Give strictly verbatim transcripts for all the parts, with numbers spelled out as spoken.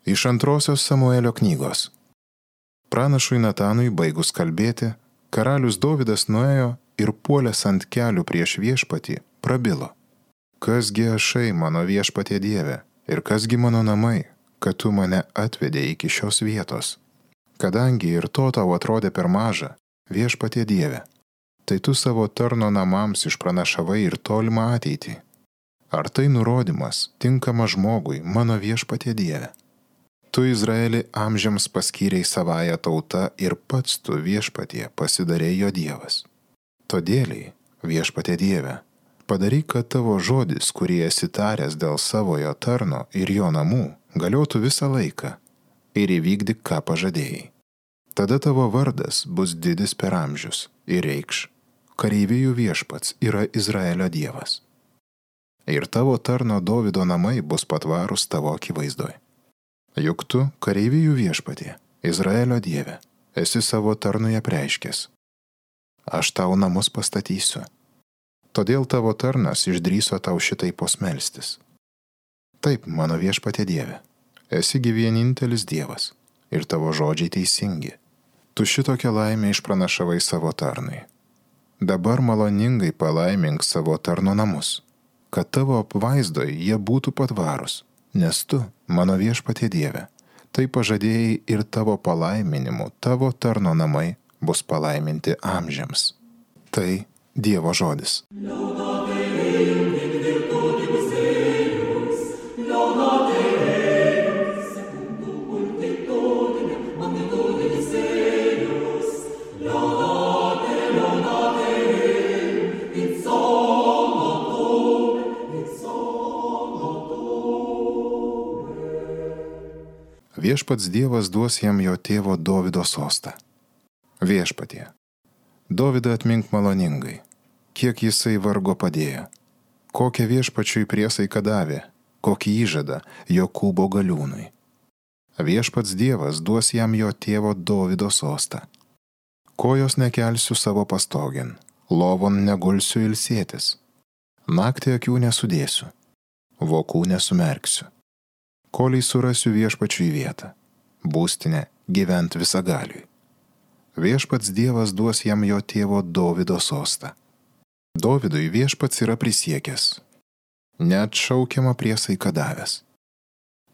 Iš antrosios Samuelio knygos. Pranašui Natanui baigus kalbėti, karalius Dovydas nuėjo ir puolęs ant kelių prieš viešpatį prabilo. Kasgi ašai mano viešpatie Dieve ir kasgi mano namai, kad tu mane atvedė iki šios vietos. Kadangi ir to tau atrodė per maža, viešpatie Dieve, tai tu savo tarno namams išpranašavai ir tolimą ateitį. Ar tai nurodymas tinkamas žmogui, mano viešpatie Dieve? Tu Izraelį amžiams paskyrei savąją tautą ir pats tu viešpatie pasidarei jo Dievas. Todėliai, viešpatie Dieve, padaryk, kad tavo žodis, kurį esi taręs dėl savojo tarno ir jo namų, galiotų visą laiką ir įvykdyk, ką pažadėjai. Tada tavo vardas bus didis per amžius ir reikš, kareivijų viešpats yra Izraelio Dievas. Ir tavo tarno Dovydo namai bus patvarūs tavo akivaizdoj. Juk tu, kareivijų viešpatie, Izraelio Dieve, esi savo tarnui apreiškęs. Aš tau namus pastatysiu. Todėl tavo tarnas išdrįso tau šitai posmelstis. Taip, mano viešpatie Dieve, esi gi vienintelis Dievas ir tavo žodžiai teisingi. Tu šitokią laimę išpranašavai savo tarnui. Dabar maloningai palaimink savo tarno namus, kad tavo apvaizdoj jie būtų patvarūs. Nes tu, mano viešpatie Dieve, tai pažadėjai ir tavo palaiminimu, tavo tarno namai bus palaiminti amžiams. Tai Dievo žodis. Viešpats Dievas duos jam jo tėvo Dovydo sostą. Viešpatie, Dovydą atmink maloningai, kiek jisai vargo padėjo, kokią viešpačiui priesaiką davė, kokį įžadą Jokūbo galiūnui. Viešpats Dievas duos jam jo tėvo Dovydo sostą. Kojos nekelsiu savo pastogin, lovon negulsiu ilsėtis, naktį akių nesudėsiu, vokų nesumerksiu. Koliai surasiu viešpačiui vietą, būstinę gyvent visagaliui. Viešpats Dievas duos jam jo tėvo Dovydo sostą. Dovydui viešpats yra prisiekęs, neatšaukiamą priesaiką davęs.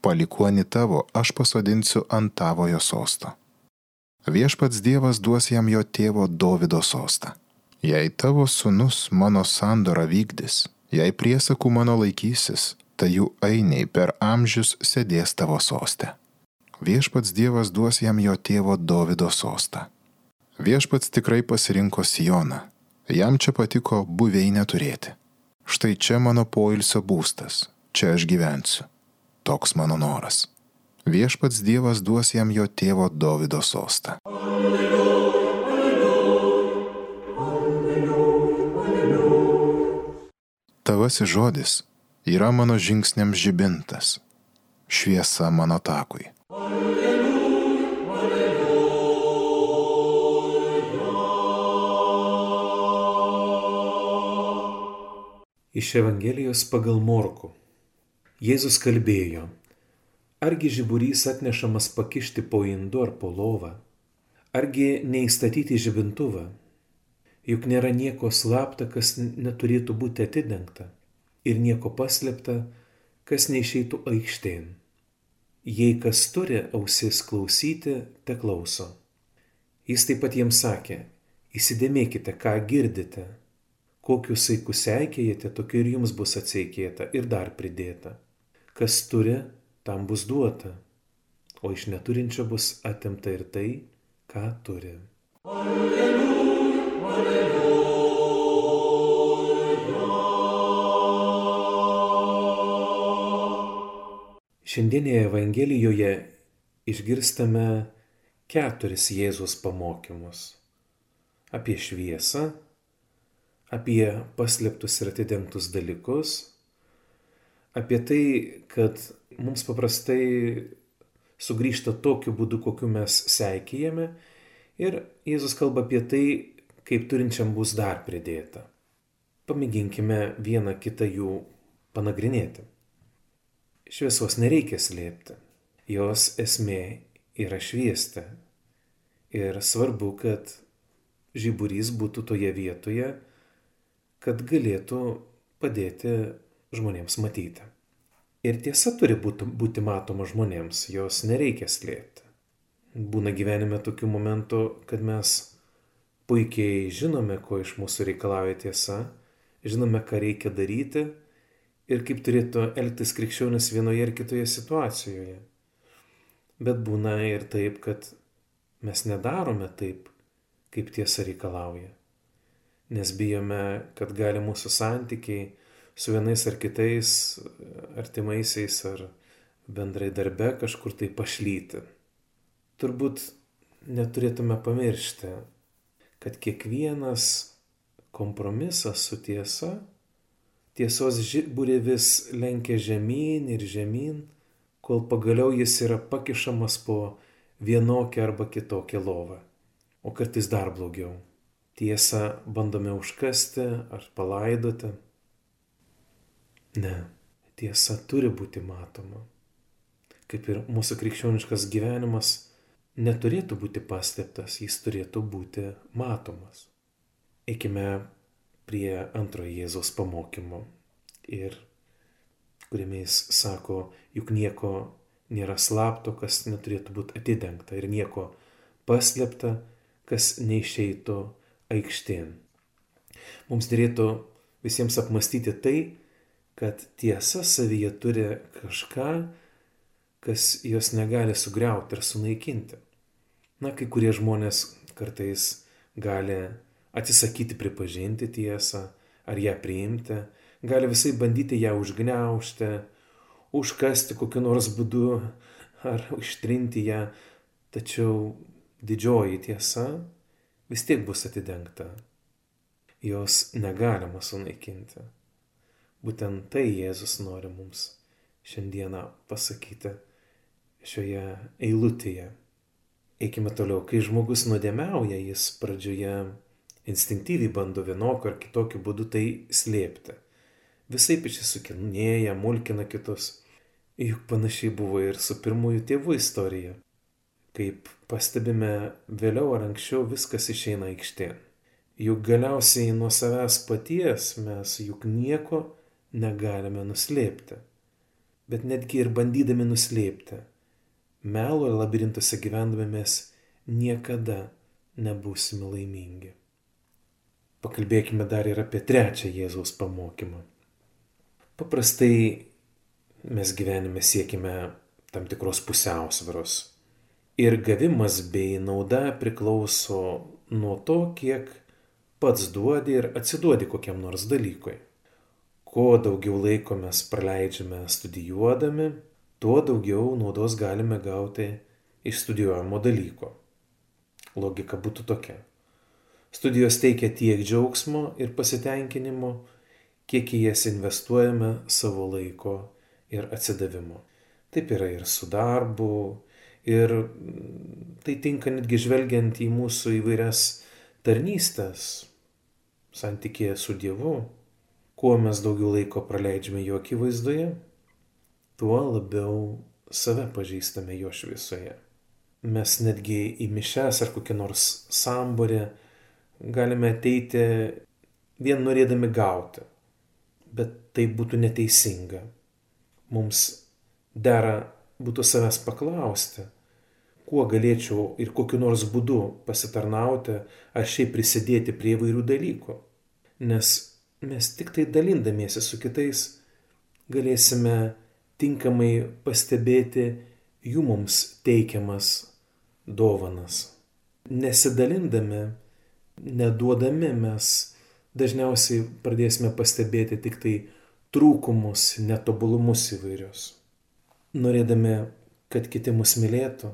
Palikuonį tavo aš pasodinsiu ant tavojo sosto. Viešpats Dievas duos jam jo tėvo Dovydo sostą. Jei tavo sūnus mano sandorą vykdys, jei priesakų mano laikysis, tai jų ainiai per amžius sėdės tavo soste. Viešpats Dievas duos jam jo tėvo Dovydo sostą. Viešpats tikrai pasirinko Sioną, jam čia patiko buveinę turėti. Štai čia mano poilsio būstas, čia aš gyvensiu. Toks mano noras. Viešpats Dievas duos jam jo tėvo Dovydo sostą. Tavasis žodis yra mano žingsniams žibintas, šviesa mano takui. Iš Evangelijos pagal Morkų. Jėzus kalbėjo, argi žiburys atnešamas pakišti po indu ar po lovą, argi neįstatyti žibintuvą, juk nėra nieko slapta, kas neturėtų būti atidengta, ir nieko paslėpta, kas neišeitų aikštėn. Jei kas turi ausis klausyti, te klauso. Jis taip pat jiems sakė, įsidėmėkite, ką girdite. Kokius saikus seikėjate, tokiu ir jums bus atseikėta ir dar pridėta. Kas turi, tam bus duota, o iš neturinčio bus atimta ir tai, ką turi. Alleluja, alleluja. Šiandienėje Evangelijoje išgirstame keturis Jėzaus pamokymus. Apie šviesą, apie paslėptus ir atidengtus dalykus, apie tai, kad mums paprastai sugrįžta tokiu būdu, kokiu mes seikėjame, ir Jėzus kalba apie tai, kaip turinčiam bus dar pridėta. Pamėginkime vieną kitą jų panagrinėti. Šviesos nereikia slėpti. Jos esmė yra šviesti. Ir svarbu, kad žiburys būtų toje vietoje, kad galėtų padėti žmonėms matyti. Ir tiesa turi būti, būti matoma žmonėms, jos nereikia slėpti. Būna gyvenime tokių momentų, kad mes puikiai žinome, ko iš mūsų reikalauja tiesa, žinome, ką reikia daryti ir kaip turėtų elgtis krikščionis vienoje ar kitoje situacijoje. Bet būna ir taip, kad mes nedarome taip, kaip tiesa reikalauja. Nes bijome, kad gali mūsų santykiai su vienais ar kitais artimaisiais ar bendrai darbe kažkur tai pašlyti. Turbūt neturėtume pamiršti, kad kiekvienas kompromisas su tiesa, tiesos žiburį vis lenkia žemyn ir žemyn, kol pagaliau jis yra pakišamas po vienokią arba kitokią lovą. O kartais dar blogiau. Tiesą bandome užkasti ar palaidoti. Ne, tiesa turi būti matoma. Kaip ir mūsų krikščioniškas gyvenimas neturėtų būti paslėptas, jis turėtų būti matomas. Eikime prie antrojo Jėzaus pamokymo, ir kuriame jis sako, juk nieko nėra slapto, kas neturėtų būti atidengta, ir nieko paslėpta, kas neišeitų aikštėn. Mums dėrėtų visiems apmastyti tai, kad tiesa savyje turi kažką, kas jos negali sugriauti ir sunaikinti. Na, kai kurie žmonės kartais gali atsisakyti pripažinti tiesą ar ją priimti, gali visai bandyti ją užgniaužti, užkasti kokiu nors būdu ar ištrinti ją, tačiau didžioji tiesa vis tiek bus atidengta. Jos negalima sunaikinti. Būtent tai Jėzus nori mums šiandieną pasakyti šioje eilutėje. Eikime toliau. Kai žmogus nuodėmiauja, jis pradžioje instinktyviai bando vienokiu ar kitokiu būdu tai slėpti. Visaip išsisukinėja, mulkina kitus. Juk panašiai buvo ir su pirmųjų tėvų istorija. Kaip pastebime, vėliau ar anksčiau viskas išeina aikštėn. Juk galiausiai nuo savęs paties mes juk nieko negalime nuslėpti. Bet netgi ir bandydami nuslėpti, melo labirintuose gyvendami mes niekada nebūsime laimingi. Pakalbėkime dar ir apie trečią Jėzaus pamokymą. Paprastai mes gyvenime siekime tam tikros pusiausvyros. Ir gavimas bei nauda priklauso nuo to, kiek pats duodi ir atsiduodi kokiam nors dalykui. Kuo daugiau laiko mes praleidžiame studijuodami, tuo daugiau naudos galime gauti iš studijuojamo dalyko. Logika būtų tokia. Studijos teikia tiek džiaugsmo ir pasitenkinimo, kiek į jas investuojame savo laiko ir atsidavimo. Taip yra ir su darbu, ir tai tinka netgi žvelgiant į mūsų įvairias tarnystės, santykėje su Dievu. Kuo mes daugiau laiko praleidžiame jo akivaizdoje, tuo labiau save pažįstame jo šviesoje. Mes netgi į mišias ar kokį nors samborį galime ateiti vien norėdami gauti, bet tai būtų neteisinga. Mums dera būtų savęs paklausti, kuo galėčiau ir kokiu nors būdu pasitarnauti ar šiaip prisidėti prie įvairių dalykų. Nes mes tik tai dalindamiesi su kitais galėsime tinkamai pastebėti jų mums teikiamas dovanas. Nesidalindami, neduodami mes dažniausiai pradėsime pastebėti tik tai trūkumus, netobulumus įvairius. Norėdami, kad kiti mus mylėtų,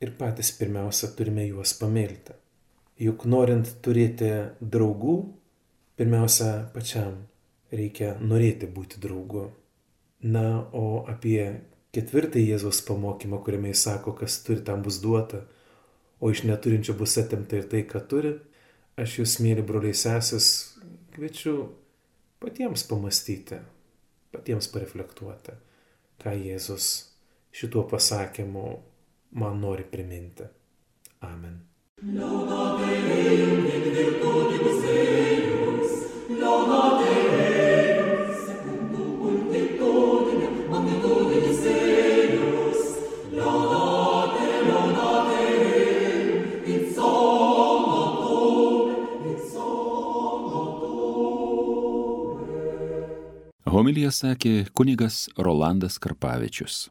ir patys pirmiausia turime juos pamilti. Juk norint turėti draugų, pirmiausia pačiam reikia norėti būti draugu. Na, o apie ketvirtąjį Jėzaus pamokymą, kuriame jis sako, kas turi, tam bus duota, o iš neturinčio bus atimta ir tai, ką turi, aš jūs, mėly broliai sesės, kviečiu patiems pamastyti, patiems pareflektuoti, ką Jėzus šituo pasakymu man nori priminti. Amen. Homiliją sakė kunigas Rolandas Karpavičius.